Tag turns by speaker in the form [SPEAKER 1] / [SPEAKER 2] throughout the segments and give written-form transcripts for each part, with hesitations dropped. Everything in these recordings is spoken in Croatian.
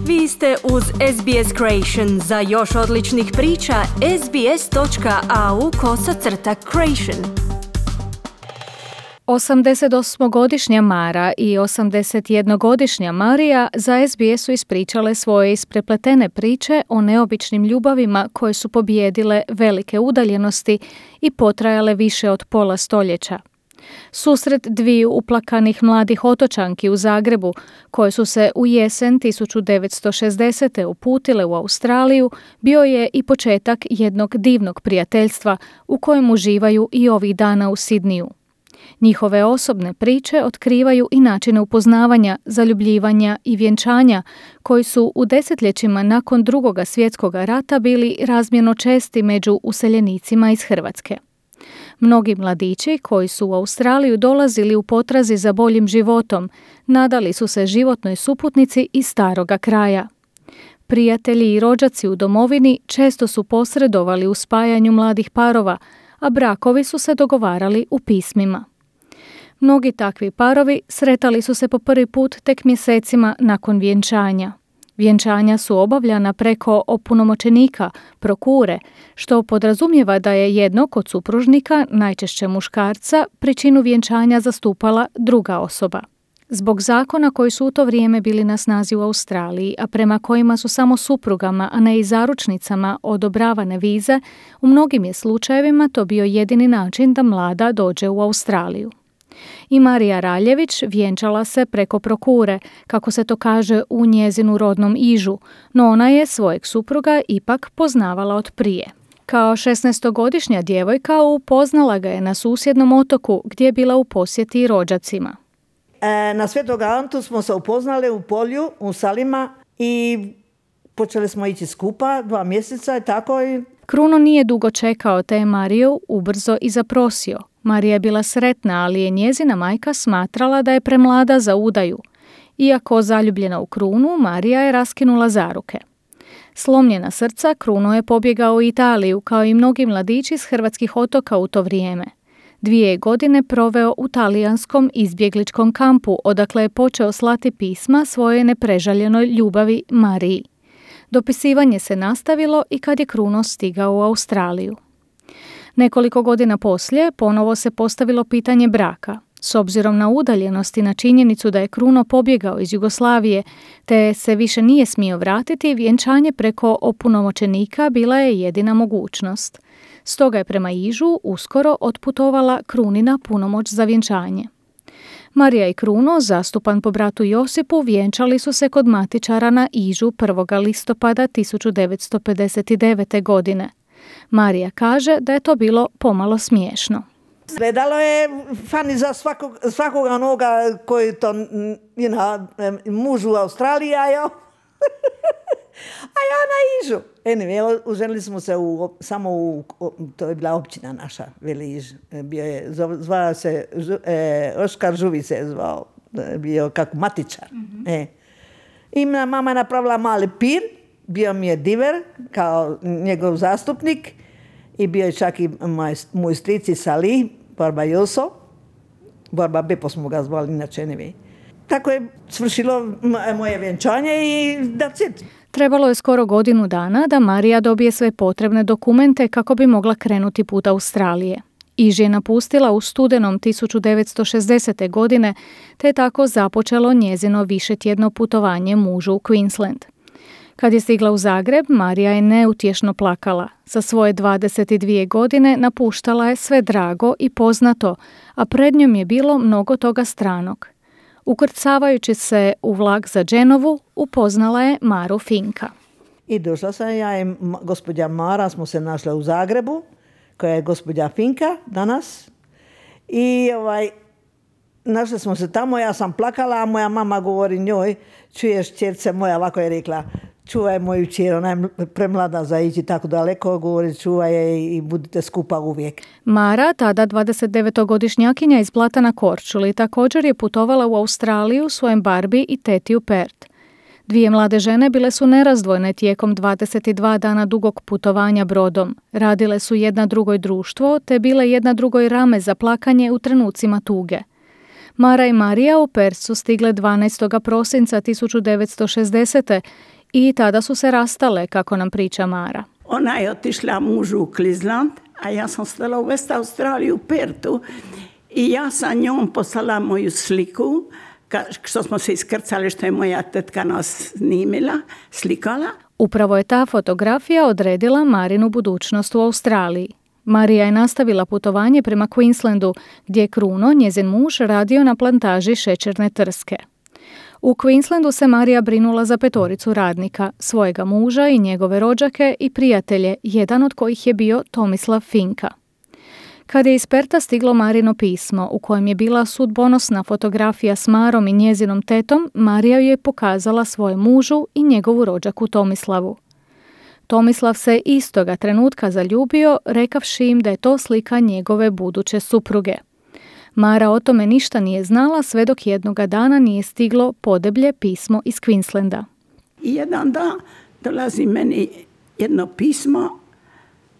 [SPEAKER 1] Vi ste uz SBS Creation. Za još odličnih priča, sbs.au/creation.
[SPEAKER 2] 88-godišnja Mara i 81-godišnja Marija za SBS su ispričale svoje isprepletene priče o neobičnim ljubavima koje su pobijedile velike udaljenosti i potrajale više od pola stoljeća. Susret dviju uplakanih mladih otočanki u Zagrebu, koje su se u jesen 1960. uputile u Australiju, bio je i početak jednog divnog prijateljstva u kojem uživaju i ovih dana u Sidniju. Njihove osobne priče otkrivaju i načine upoznavanja, zaljubljivanja i vjenčanja koji su u desetljećima nakon Drugoga svjetskog rata bili razmjerno česti među useljenicima iz Hrvatske. Mnogi mladići koji su u Australiju dolazili u potrazi za boljim životom, nadali su se životnoj suputnici iz staroga kraja. Prijatelji i rođaci u domovini često su posredovali u spajanju mladih parova, a brakovi su se dogovarali u pismima. Mnogi takvi parovi sretali su se po prvi put tek mjesecima nakon vjenčanja. Vjenčanja su obavljana preko opunomoćenika, prokure, što podrazumijeva da je jednog od supružnika, najčešće muškarca, pričinu vjenčanja zastupala druga osoba. Zbog zakona koji su u to vrijeme bili na snazi u Australiji, a prema kojima su samo suprugama, a ne i zaručnicama odobravane vize, u mnogim je slučajevima to bio jedini način da mlada dođe u Australiju. I Marija Raljević vjenčala se preko prokure, kako se to kaže u njezinu rodnom Ižu, no ona je svojeg supruga ipak poznavala od prije. Kao 16-godišnja djevojka upoznala ga je na susjednom otoku gdje je bila u posjeti rođacima.
[SPEAKER 3] Na Svetog Antu smo se upoznali u polju, u Salima i počeli smo ići skupa 2 mjeseca i tako.
[SPEAKER 2] Kruno nije dugo čekao te je Mariju ubrzo i zaprosio. Marija je bila sretna, ali je njezina majka smatrala da je premlada za udaju. Iako zaljubljena u Krunu, Marija je raskinula zaruke. Slomljena srca, Kruno je pobjegao u Italiju, kao i mnogi mladići s hrvatskih otoka u to vrijeme. 2 godine proveo u talijanskom izbjegličkom kampu, odakle je počeo slati pisma svojoj neprežaljenoj ljubavi Mariji. Dopisivanje se nastavilo i kad je Kruno stigao u Australiju. Nekoliko godina poslije ponovo se postavilo pitanje braka. S obzirom na udaljenost i na činjenicu da je Kruno pobjegao iz Jugoslavije te se više nije smio vratiti, vjenčanje preko opunomoćenika bila je jedina mogućnost. Stoga je prema Ižu uskoro otputovala Krunina punomoć za vjenčanje. Marija i Kruno, zastupan po bratu Josipu, vjenčali su se kod matičara na Ižu 1. listopada 1959. godine. Marija kaže da je to bilo pomalo smiješno.
[SPEAKER 3] Gledalo je fani za svakoga onoga koji to muž u Australiji, a ja na Ižu. Anyway, oženili smo se to je bila općina naša, Veli Iž. Zvao se, Oskar Žuvi se je zvao, bio kako matičar. Mm-hmm. I mama je napravila mali pir, bio mi je diver kao njegov zastupnik i bio je čak i moj strici Salih, Barba Joso. Barba Bepo smo ga zvali, inače ne. Tako je svršilo moje vjenčanje i that's it.
[SPEAKER 2] Trebalo je skoro godinu dana da Marija dobije sve potrebne dokumente kako bi mogla krenuti put Australije. Iž je napustila u studenom 1960. godine, te je tako započelo njezino višetjedno putovanje mužu u Queensland. Kad je stigla u Zagreb, Marija je neutješno plakala. Sa svoje 22 godine napuštala je sve drago i poznato, a pred njom je bilo mnogo toga stranog. Ukrcavajući se u vlak za Genovu, upoznala je Maru Finka.
[SPEAKER 3] I došla sam ja i gospođa Mara, smo se našle u Zagrebu, koja je gospođa Finka danas. I našli smo se tamo, ja sam plakala, a moja mama govori njoj, čuješ ćerce moja, ovako je rekla, čuvaj moju čer, ona je premlada za ići tako daleko, govori čuvaj je i budite skupa uvijek.
[SPEAKER 2] Mara, tada 29-godišnjakinja iz Blata na Korčuli, također je putovala u Australiju svojem Barbi i teti u Perth. 2 mlade žene bile su nerazdvojne tijekom 22 dana dugog putovanja brodom. Radile su jedna drugoj društvo, te bile jedna drugoj rame za plakanje u trenucima tuge. Mara i Marija u Perth su stigle 12. prosinca 1960. i tada su se rastale, kako nam priča Mara.
[SPEAKER 4] Ona je otišla mužu u Cleveland, a ja sam stala u West Australiji u Perthu i ja sam njom poslala moju sliku, što smo se iskrcali, što je moja tetka nas snimila, slikala.
[SPEAKER 2] Upravo je ta fotografija odredila Marinu budućnost u Australiji. Marija je nastavila putovanje prema Queenslandu, gdje je Kruno, njezin muž, radio na plantaži šećerne trske. U Queenslandu se Marija brinula za 5 radnika, svojega muža i njegove rođake i prijatelje, jedan od kojih je bio Tomislav Finka. Kad je iz Pertha stiglo Marino pismo, u kojem je bila sudbonosna fotografija s Marom i njezinom tetom, Marija ju je pokazala svojem mužu i njegovu rođaku Tomislavu. Tomislav se istoga trenutka zaljubio, rekavši im da je to slika njegove buduće supruge. Mara o tome ništa nije znala sve dok jednoga dana nije stiglo podeblje pismo iz Queenslanda.
[SPEAKER 4] I jedan dan dolazi meni jedno pismo,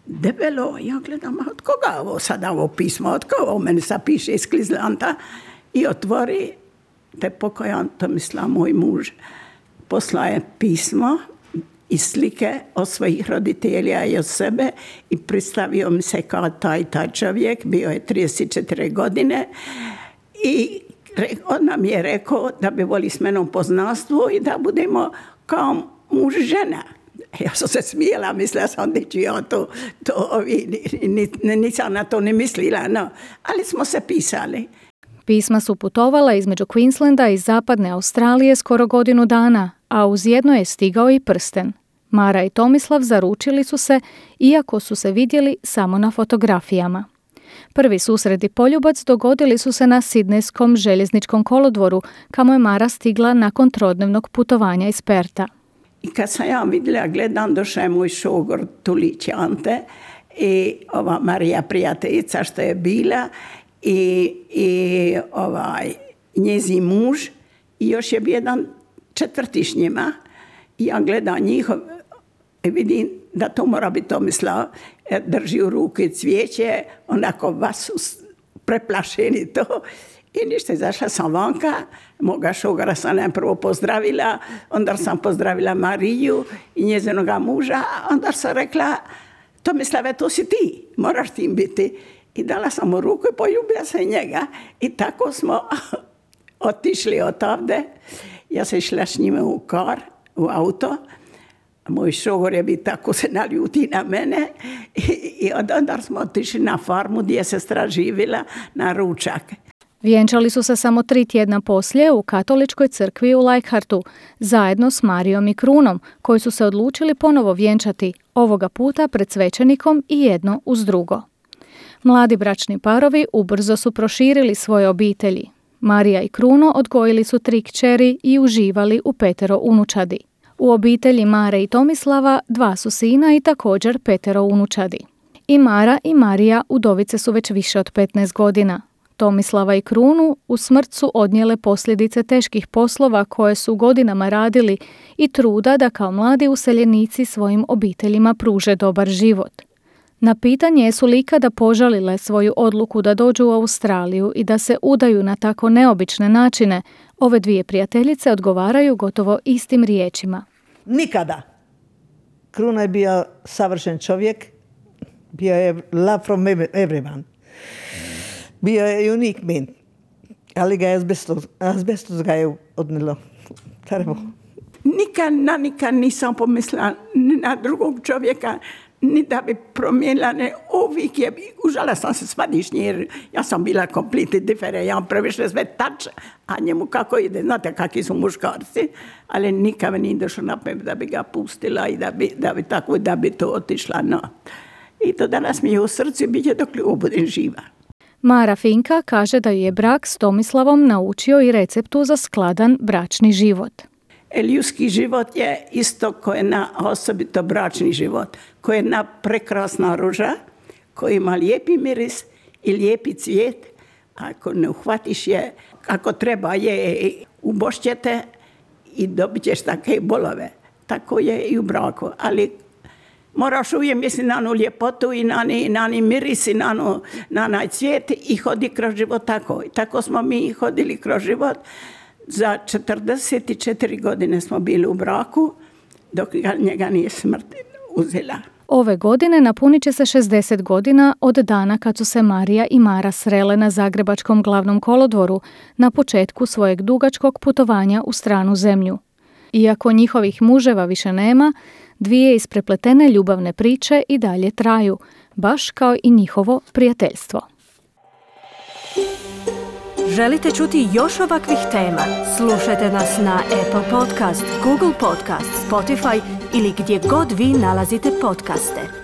[SPEAKER 4] debelo, ja gledam, od koga ovo sada ovo pismo, od koga ovo meni sad piše iz Queenslanda, i otvori, te pokojan Tomislav, moj muž, poslaje pismo i slike od svojih roditelja i od sebe i predstavio mi se kao taj čovjek, bio je 34 godine i on nam je rekao da bi voli s menom poznanstvo i da budemo kao muž žena. Ja sam se smijela, mislila sam da ću ja nisam na to ne mislila, no, ali smo se pisali.
[SPEAKER 2] Pisma su putovala između Queenslanda i zapadne Australije skoro godinu dana, a uz jedno je stigao i prsten. Mara i Tomislav zaručili su se, iako su se vidjeli samo na fotografijama. Prvi susret i poljubac dogodili su se na Sidnejskom željezničkom kolodvoru, kamo je Mara stigla nakon trodnevnog putovanja iz Pertha.
[SPEAKER 4] I kad sam ja vidjela, gledam, došao je moj šogor Tulić Ante i ova Marija prijateljica što je bila i njezin muž i još je bio jedan četvrti s njima. I ja gledam njihov i vidim da to mora biti Tomislav, drži u ruke cvijeće, onako vas su preplašeni to. I ništa, izašla sam vanka, moga šogora sam najprvo pozdravila, onda sam pozdravila Mariju i njezinoga muža, a onda sam rekla, Tomislave, to si ti, moraš tim biti. I dala sam mu ruku i poljubila sam njega. I tako smo otišli odavde. Ja sam išla s njime u auto. Moj šogor je bi tako se naljuti na mene. I onda smo otišli na farmu gdje se sestra živjela na ručak.
[SPEAKER 2] Vjenčali su se samo 3 tjedna poslije u katoličkoj crkvi u Leichhardtu, zajedno s Marijom i Krunom, koji su se odlučili ponovo vjenčati, ovoga puta pred svećenikom i jedno uz drugo. Mladi bračni parovi ubrzo su proširili svoje obitelji. Marija i Kruno odgojili su 3 kćeri i uživali u 5 unučadi. U obitelji Mare i Tomislava 2 su sina i također 5 unučadi. I Mara i Marija udovice su već više od 15 godina. Tomislava i Krunu u smrt su odnijele posljedice teških poslova koje su godinama radili i truda da kao mladi useljenici svojim obiteljima pruže dobar život. Na pitanje jesu li ikada požalile svoju odluku da dođu u Australiju i da se udaju na tako neobične načine, ove 2 prijateljice odgovaraju gotovo istim riječima.
[SPEAKER 3] Nikada. Kruno je bio savršen čovjek, bio je love from everyone. Bio je unique man, ali ga je azbestos ga je odnilo.
[SPEAKER 4] Nikad nisam pomislila ni na drugog čovjeka, ni da bi promijenila, uvijek je, užala sam se svadišnji, jer ja sam bila completely different, ja previše sve tač, a njemu kako ide, znate kakvi su muškarci, ali nikad mi nije došlo na pamet da bi ga pustila i da bi to otišla, no. I to danas mi je u srcu, bit će dok budem živa.
[SPEAKER 2] Mara Finka kaže da ju je brak s Tomislavom naučio i receptu za skladan bračni život.
[SPEAKER 4] Ljudski život je isto ko jedna osobito bračni život, ko je jedna prekrasna ruža, koja ima lijepi miris i lijepi cvijet. Ako ne uhvatiš je, ako treba je, ubošćete i dobit ćeš takve bolove. Tako je i u braku, ali moraš uvijek misliti na onu ljepotu i na ni miris i na onaj cvijet i hodi kroz život tako. I tako smo mi hodili kroz život. Za 44 godine smo bili u braku, dok njega nije smrt uzela.
[SPEAKER 2] Ove godine napunit će se 60 godina od dana kad su se Marija i Mara srele na Zagrebačkom glavnom kolodvoru na početku svojeg dugačkog putovanja u stranu zemlju. Iako njihovih muževa više nema, dvije isprepletene ljubavne priče i dalje traju, baš kao i njihovo prijateljstvo.
[SPEAKER 1] Želite čuti još ovakvih tema? Slušajte nas na Apple Podcast, Google Podcast, Spotify ili gdje god vi nalazite podcaste.